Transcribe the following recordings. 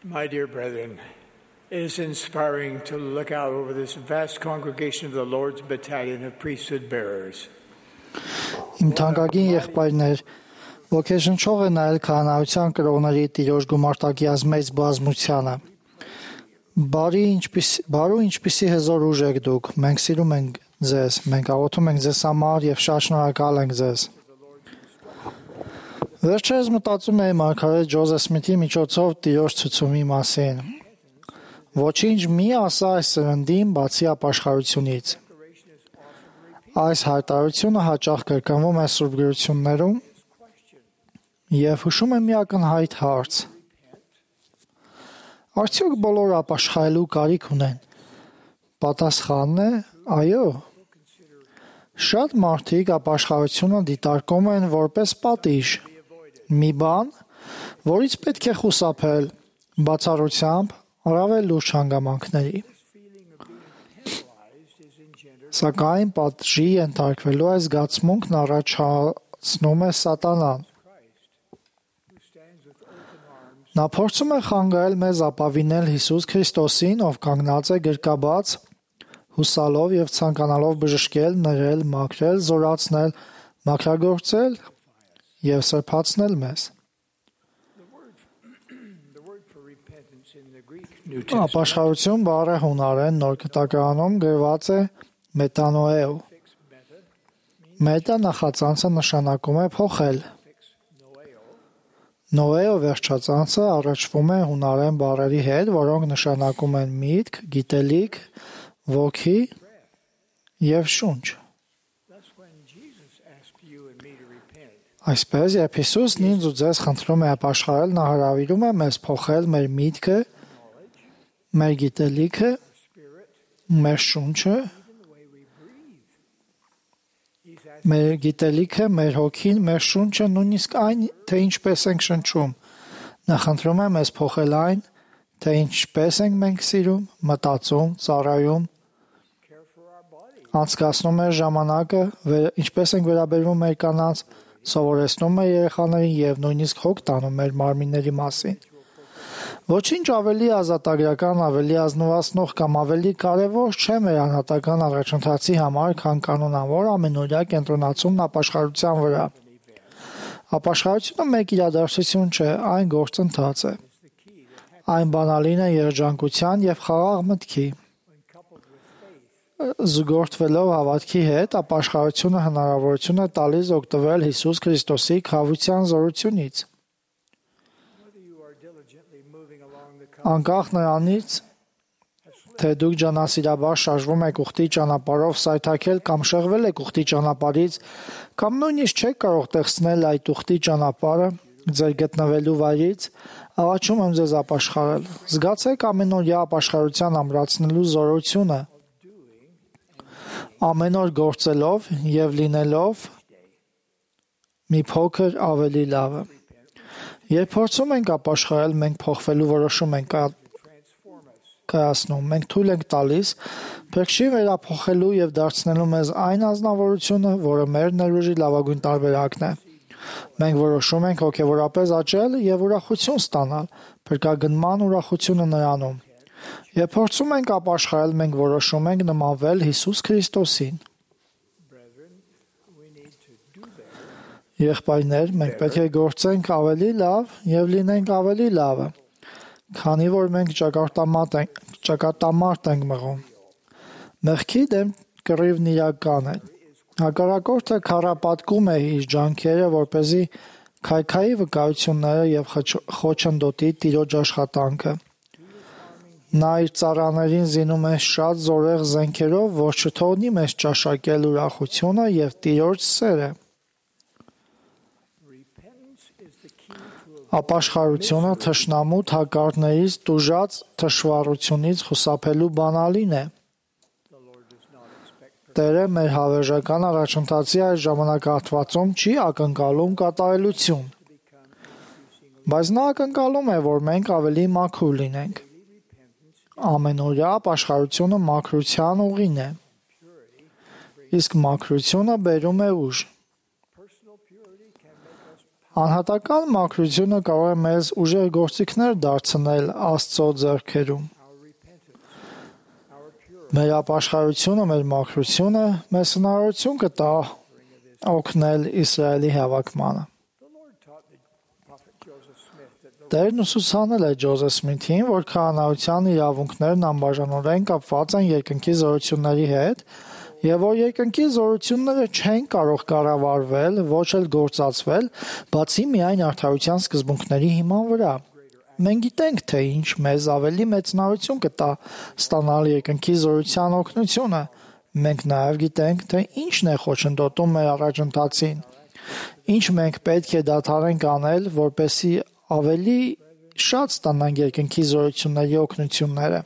My dear brethren, it is inspiring to look out over this vast congregation of the Lord's battalion of priesthood bearers. Իմ թանկագին եղբայրներ, ոգեշնչող է նայել քահանայության կրողների տիրոջ գումարտակյաց մեծ բազմությանը։ Բարու ինչպիսի հզոր ուժ եք դուք, մենք սիրում ենք ձեզ, մենք աղոթում ենք ձեզ համար և շատ շնորհակալ ենք ձեզ։ Վերջերս մտածում էի մարգարետ Ջոզեֆ Սմիթի միջոցով տիրոջ ցուցումի մասին։ Ոչինչ մի ասա այս սերնդին բացի ապաշխարությունից։ Այս հայտարարությունը հաճախ կրկնվում է Սուրբ գրություններում և հուշում է մի ակնհայտ հարց. Արդյոք բոլորը ապաշխարելու կարիք ունեն։ Պատասխանն է՝ այո։ Շատ մարդիկ ապաշխարությունը դիտարկում են որպես պատիժ, մի բան, որից պետք է խուսափել, բացառությամբ առավել լուրջ հանգամանքների։ Սակայն պատժի ենթարկվելու այս զգացմունքն առաջացնում է սատանան։ Նա փորձում է խանգարել մեզ ապավինել Հիսուս Քրիստոսին, ով կանգնած է գրկաբաց, հուսալով և ցանկանալով բժշկել, ներել, մաքրել, զորացնել, մաքրագործել և սրբացնել մեզ։ Ապաշխարություն բառը հունարեն Նոր Գտակարանում գրված է մետանոեո։ Մետա նախածանցը նշանակում է փոխել։ Նոեո վերջածանցը առաջվում է հունարեն բառերի հետ, որոնք նշանակում են միտք, գիտելիք, ոգի և շունչ։ Այսպես, երբ Հիսուսն ինձ ու ձեզ խնդրում է ապաշխարել, նա հրավիրում է մեզ փոխել մեր միտքը, մեր գիտելիքը, մեր շունչը, մեր գիտելիքը, մեր հոգին, մեր շունչը, նույնիսկ այն, թե ինչպես ենք շնչում։ Նա խնդրում է մեզ փոխել այն, թե ինչպես ենք մենք սիրում, մտածում, ծառայում, անցկացնում մեր ժամանակը, ինչպես ենք վերաբերվում մեր կանանց, սովորեցնում մեր երեխաներին և նույնիսկ հոգ տանում մեր մարմինների մասին։ Ոչինչ ավելի ազատագրական, ավելի ազնվացնող կամ ավելի կարևոր չէ մեր անհատական առաջընթացի համար, քան կանոնավոր ամենօրյա կենտրոնացումն ապաշխարության վրա։ Ապաշխարությունը մեկ իրադարձություն չէ, այն գործընթաց է։ Այն բանալին է երջանկության և խաղաղ մտքի։ Զուգորդվելով հավատքի հետ, ապաշխարությունը հնարավորություն է տալիս օգտվել Հիսուս Քրիստոսի քավության զորությունից։ Անկախ նրանից, թե դուք ջանասիրաբար շարժվում եք ուխտի ճանապարհով սայթաքել կամ շեղվել եք ուխտի ճանապարհից, կամ նույնիսկ չեք կարող տեսնել այդ ուխտի ճանապարհը ձեր գտնվելու վայրից, աղաչում եմ ձեզ ապաշխարել։ Զգացեք ամենօրյա ապաշխարության ամրացնելու զորությունը։ Ամեն օր գործելով և լինելով մի փոքր ավելի լավը։ Երբ փորձում ենք ապաշխարել, մենք փոխվելու որոշում ենք կայացնում, մենք թույլ ենք տալիս փրկչին վերափոխելու և դարձնելու մեզ այն անձնավորությունը, որը մեր ներուժի լավագույն տարբերակն է։ Մենք որոշում ենք հոգևորապես աճել և ուրախություն ստանալ, փրկագնման ուրախությունը նրանում։ Երբ փորձում ենք ապաշխարել, մենք որոշում ենք նմանվել Հիսուս Քրիստոսին։ Եղբայրներ, մենք պետք է գործենք ավելի լավ և լինենք ավելի լավը, քանի որ մենք ճակատամարտ ենք մղում։ Մեղքի դեմ կռիվն իրական է։ Հակառակորդը քառապատկում է իր ջանքերը, որպեսզի քայքայի վկայությունները և խոչընդոտի տիրոջ աշխատանքը։ Նա իր ծառաներին զինում է շատ զորեղ զենքերով, որ չթողնի մեզ ճաշակել ուրախությունը և տիրոջ սերը։ Ապաշխարությունը թշնամու թակարդներից տուժած թշվառությունից խուսափելու բանալին է։ Տերը մեր հավերժական առաջընթացի այս ժամանակահատվածում չի ակնկալում կատարելություն, բայց նա ակնկալում է, որ մենք ավելի մաքուր լինենք։ Ամենօրյա ապաշխարությունը մաքրության ուղին է, իսկ մաքրությունը բերում է ուժ։ Անհատական մաքրությունը կարող է մեզ ուժեղ գործիքներ դարձնել Աստծո ձեռքերում։ Մեր ապաշխարությունը, մեր մաքրությունը մեզ հնարավորություն կտա օգնել Իսրայելի հավաքմանը։ Տերն ուսուցանել է Ջոզեֆ Սմիթին, որ քահանայության իրավունքներն անբաժանորեն կապված են երկնքի զորությունների հետ, եւ որ երկնքի զորությունները չեն կարող կառավարվել, ոչ էլ գործածվել, բացի միայն արդարության սկզբունքների հիման վրա։ Մենք գիտենք, թե ինչ մեզ ավելի մեծ հնարավորություն կտա ստանալ երկնքի զորության օգնությունը։ Մենք նաև գիտենք, թե ինչն է խոչընդոտում մեր առաջընթացին, ինչ մենք պետք է դադարենք անել, որպեսզի ավելի շատ ստանանք երկնքի զորությունների օգնությունները։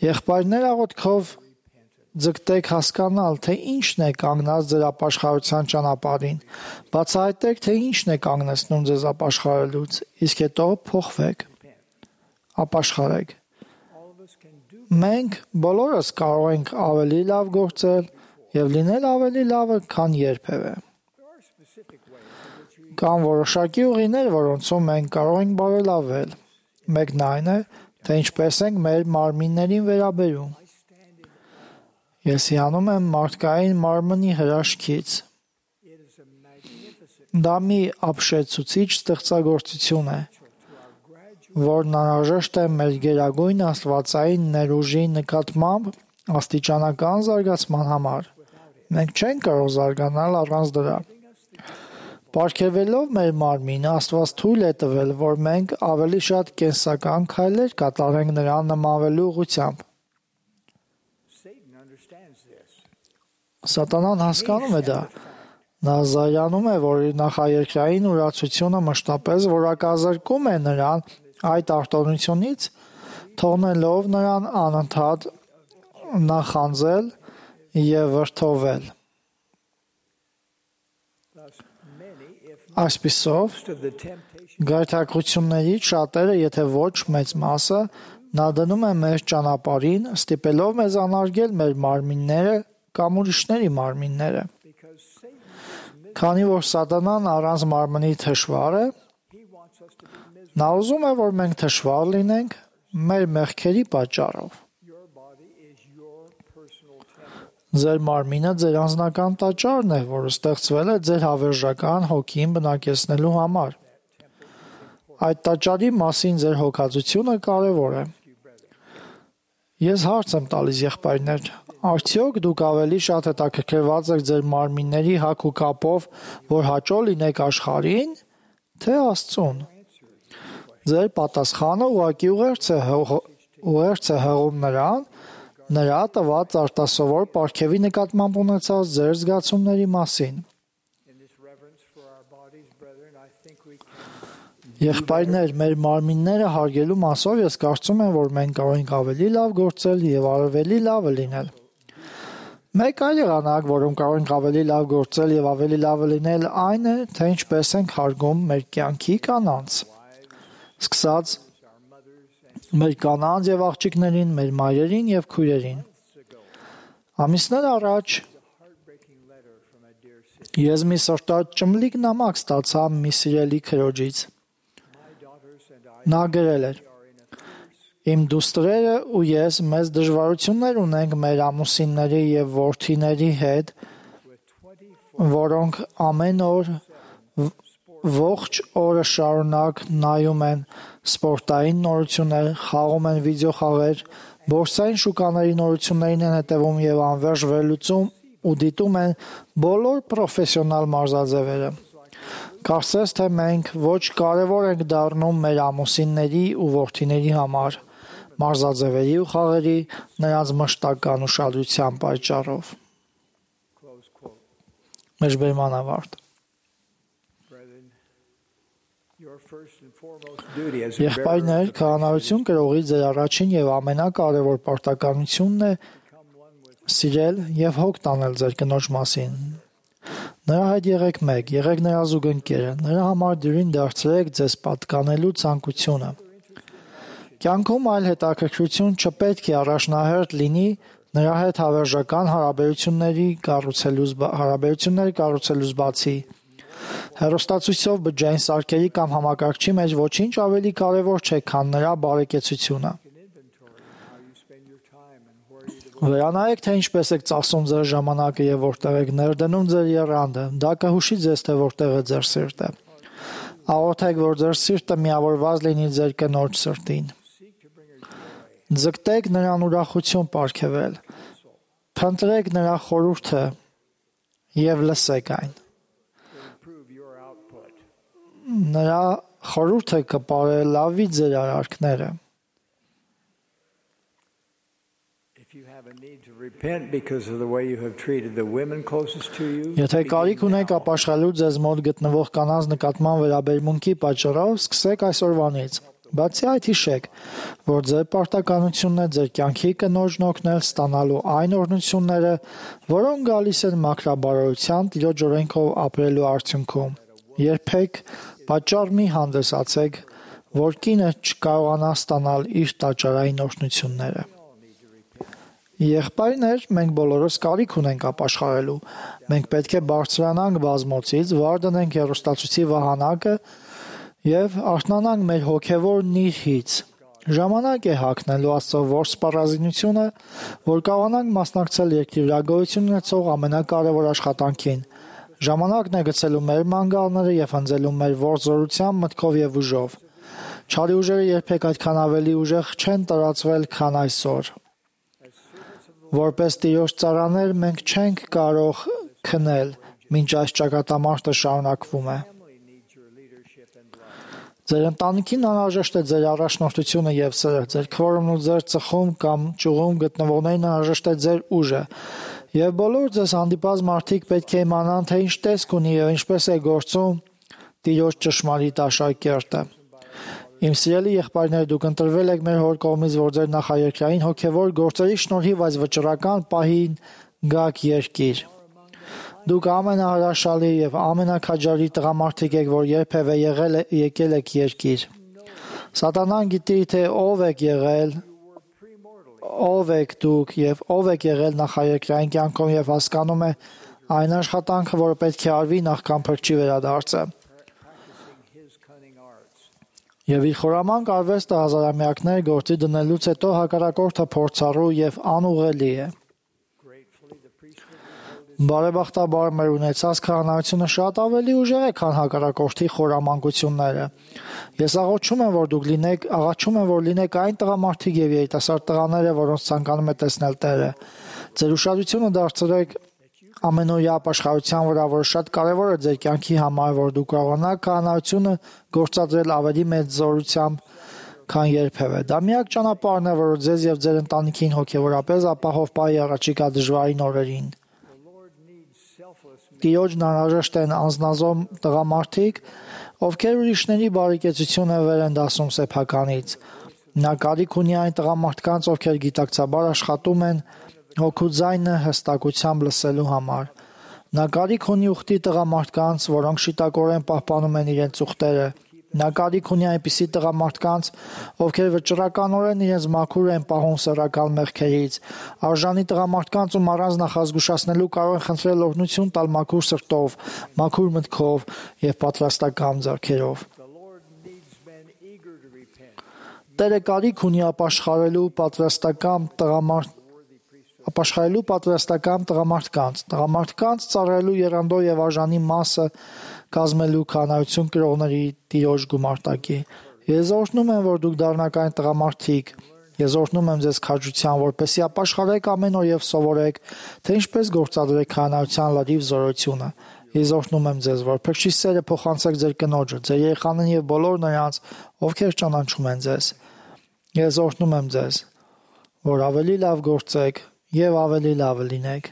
Եղբայրներ, աղոթքով ձգտեք հասկանալ, թե ինչն է կանգնած ձեր ապաշխարության ճանապարհին, բացահայտեք, թե ինչն է կանգնեցնում ձեզ ապաշխարելուց, իսկ հետո փոխվեք, ապաշխարեք։ Մենք բոլորս կարող ենք ավելի լավ գործել եւ լինել ավելի լավը, քան երբևէ։ Կան որոշակի ուղիներ, որոնցով մենք կարող ենք բարելավել։ Մեկն այն է, թե ինչպես ենք մեր մարմիններին վերաբերում։ Ես հիանում եմ մարդկային մարմնի հրաշքից։ Դա մի ապշեցուցիչ ստեղծագործություն է, որն անհրաժեշտ է մեր գերագույն աստվածային ներուժի նկատմամբ աստիճանական զարգացման համար։ Մենք չենք կարող զարգանալ առանց դրա։ Պարգևելով մեր մարմինը, Աստված թույլ է տվել, որ մենք ավելի շատ կենսական քայլեր կատարենք նրան նմանվելու ուղղությամբ։ Սատանան հասկանում է դա։ Նա զայրանում է, որ իր նախաերկրային ուրացությունը մշտապես որակազրկում է նրան այդ արտոնությունից, թողնելով նրան անընդհատ նախանձել և վրդովել։ Այսպիսով, գայթակղություններից շատերը, եթե ոչ մեծ մասը, նա դնում է մեր ճանապարհին, ստիպելով մեզ անարգել մեր մարմինները կամ ուրիշների մարմինները։ Քանի որ Սատանան առանց մարմնի թշվառ է, նա ուզում է, որ մենք թշվառ լինենք մեր մեղքերի պատճառով։ Ձեր մարմինը ձեր անձնական տաճարն է, որը ստեղծվել է ձեր հավերժական հոգին բնակեցնելու համար։ Այդ տաճարի մասին ձեր հոգածությունը կարևոր է։ Ես հարց եմ տալիս, եղբայրներ, արդյոք դուք ավելի շատ հետաքրքրված եք ձեր մարմինների հագ ու կապով, որ հաճո լինեք աշխարհին, թե Աստծուն։ Ձեր պատասխանը ուղղակի ուղերձ է հղում նրան, նրա տված արտասովոր պարգևի նկատմամբ ունեցած ձեր զգացումների մասին։ Եղբայրներ, մեր մարմինները հարգելու մասով ես կարծում եմ, որ մենք կարող ենք ավելի լավ գործել եւ ավելի լավը լինել։ Մեկ այլ եղանակ, որում կարող ենք ավելի լավ գործել եւ ավելի լավը լինել, այն է, թե ինչպես ենք հարգում մեր կյանքի կանանց։ Սկսած մեր կանանց եւ աղջիկներին, մեր մայրերին եւ քույրերին։ Ամիսներ առաջ ես մի սրտաճմլիկ նամակ ստացա մի սիրելի քրոջից։ Նա գրել էր. Իմ դուստրերը ու ես մեծ դժվարություններ ունենք մեր ամուսինների եւ որդիների հետ, որոնք ամեն օր ողջ օրը շարունակ նայում են սպորտային նորություններ, խաղում են վիդեոխաղեր, բորսային շուկաների նորություններին են հետևում եւ անվերջ վերլուծում ու դիտում են բոլոր պրոֆեսիոնալ մարզաձևերը։ Կարծես թե մենք ոչ կարևոր ենք դառնում մեր ամուսինների ու որդիների համար, մարզաձևերի ու խաղերի նրանց մշտական ուշադրության պատճառով։ Մեջբերման ավարտ։ Եղբայրներ, քահանայություն կրողի ձեր առաջին եւ ամենակարևոր պարտականությունն է սիրել եւ հոգ տանել ձեր կնոջ մասին։ Նրա հետ եղեք մեկ, եղեք նրա զուգընկերը, նրա համար դյուրին դարձրեք ձեզ պատկանելու ցանկությունը։ Կյանքում այլ հետաքրքրություն չպետք է առաջնահերթ լինի նրա հետ հավերժական հարաբերություններ կառուցելուց բացի։ Հեռուստացույցով բջջային սարքերի կամ համակարգչի մեջ ոչինչ ավելի կարևոր չէ, քան նրա բարեկեցությունը։ Վերանայեք, թե ինչպես եք ծախսում ձեր ժամանակը եւ որտեղ եք ներդնում ձեր եռանդը, դա կհուշի ձեզ, թե որտեղ է ձեր սիրտը։ Աղոթեք, որ ձեր սիրտը միավորված լինի ձեր կնոջ սրտին։ Ձգտեք նրան ուրախություն պարգևել։ Փնտրեք նրա խորհուրդը եւ լսեք այն։ Նրա խորհուրդը կբարելավի ձեր արարքները։ Եթե կարիք ունեք ապաշխարելու ձեզ մոտ գտնվող կանանց նկատմամբ վերաբերմունքի պատճառով, սկսեք այսօրվանից։ Բացի այդ, հիշեք, որ ձեր պարտականությունն է ձեր կյանքի կնոջն օգնել ստանալու այն օրհնությունները, որոնք գալիս են մաքրաբարոյության Տիրոջ օրենքով ապրելու արդյունքում։ Երբեք պատճառ մի հանդիսացեք, որ կինը չկարողանա ստանալ իր տաճարային օրհնությունները։ Եղբայրներ, մենք բոլորս կարիք ունենք ապաշխարելու։ Մենք պետք է բարձրանանք բազմոցից, վար դնենք հեռուստացույցի վահանակը եւ արթնանանք մեր հոգեվոր նիրհից։ Ժամանակ է հագնելու Աստծո ողջ սպառազինությունը, որ կարողանանք մասնակցել երկրի վրա գոյություն ունեցող ամենակարևոր աշխատանքին։ Ժամանակն է գցելու մեր մանգալները եւ հնձելու մեր ողջորությամբ, մտքով եւ ուժով։ Չարի ուժերը երբեք այդքան ավելի ուժեղ չեն տարածվել, քան այսօր։ Որպես Տիրոջ ծառաներ մենք չենք կարող քնել, մինչ այս ճակատամարտը շարունակվում է։ Ձեր ընտանիքին անհրաժեշտ է ձեր առաջնորդությունը եւ սերը, ձեր քվորումն ու ձեր ծխում կամ ճյուղում գտնվողներին անհրաժեշտ է ձեր ուժը։ Եվ բոլոր ձեզ հանդիպած մարդիկ պետք է իմանան, թե ինչ տեսք ունի եւ ինչպես է գործում Տիրոջ ճշմարիտ աշակերտը։ Իմ սիրելի եղբայրներ, դուք ընտրվել եք մեր հոր կողմից, որ ձեր նախաերկրային հոգևոր գործերի շնորհիվ այս վճռական պահին գաք երկիր։ Դուք ամենահրաշալի եւ ամենաքաջարի տղամարդիկ եք, որ երբևէ եկել եք երկիր։ Սատանան գիտի, թե ով եք եղել, ով եք դուք եւ ով եք եղել նախաերկրային կյանքում եւ հասկանում է այն աշխատանքը, որը պետք է արվի նախքան փրկչի վերադարձը։ Եվ իր խորամանկ արվեստը հազարամյակներ գործի դնելուց հետո հակառակորդը փորձառու եւ անուղղելի է։ Բարեբախտաբար մեր ունեցած քահանայությունը շատ ավելի ուժեղ է, քան հակառակորդի խորամանկությունները։ Ես աղաչում եմ, որ լինեք այն տղամարդիկ եւ երիտասարդ տղաները, որոնց ցանկանում է տեսնել Տերը։ Ձեր ուշադրությունը դարձրեք ամենօրյա ապաշխարության վրա, որը շատ կարևոր է ձեր կյանքի համար, որ դուք կարողանաք քահանայությունը գործադրել ավելի մեծ զորությամբ, քան երբևէ։ Դա միակ ճանապարհն է, որը ձեզ եւ ձեր ընտանիքին հոգեվորապես ապահով պահի առաջիկա դժվարին օրերին։ Տիրոջն անհրաժեշտ են անձնազոհ տղամարդիկ, ովքեր ուրիշների բարեկեցությունը վեր են դասում սեփականից։ Նա կարիք ունի այն տղամարդկանց, ովքեր գիտակցաբար աշխատում են հոգու ձայնը հստակությամբ լսելու համար։ Նա կարիք ունի ուխտի տղամարդկանց, որոնք շիտակորեն պահպանում են իրենց ուխտերը։ Նա կարիք ունի այնպիսի տղամարդկանց, ովքեր վճռականորեն իրենց մաքուր են պահում սեռական մեղքերից։ Արժանի տղամարդկանց, ում առանց նախազգուշացնելու կարող են խնդրել օրհնություն տալ մաքուր սրտով, մաքուր մտքով եւ պատրաստական ձեռքերով։ Տերը կարիք ունի ապաշխարելու պատրաստական տղամարդկանց ծառայելու եռանդով եւ արժանի մասը կազմելու քահանայություն կրողների Տիրոջ գումարտակի։ Ես օրհնում եմ, որ դուք դառնաք այն տղամարդիկ։ Ես օրհնում եմ ձեզ քաջության, որպեսզի ապաշխարեք ամեն օր եւ սովորեք, թե ինչպես գործադրեք քահանայության լրիվ զորությունը։ Ես օրհնում եմ ձեզ, որ փրկչի սերը փոխանցեք ձեր կնոջը, ձեր երեխաներին եւ բոլոր նրանց, ովքեր ճանաչում են ձեզ։ Ես օրհնում եմ ձեզ, որ ավելի լավ գործեք եւ ավելի լավ լինեք։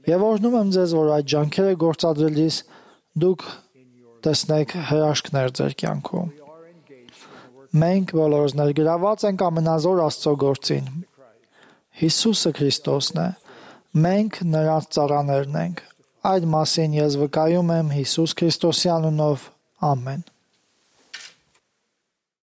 Եվ օրհնում եմ ձեզ, որ այդ ջանքերը գործադրելիս դուք տեսնեք հրաշքներ ձեր կյանքում։ Մենք բոլորս ներգրաված ենք ամենազոր Աստծո գործին։ Հիսուսը Քրիստոսն է։ Մենք նրա ծառաներն ենք։ Այդ մասին ես վկայում եմ Հիսուս Քրիստոսի անունով։ Ամեն։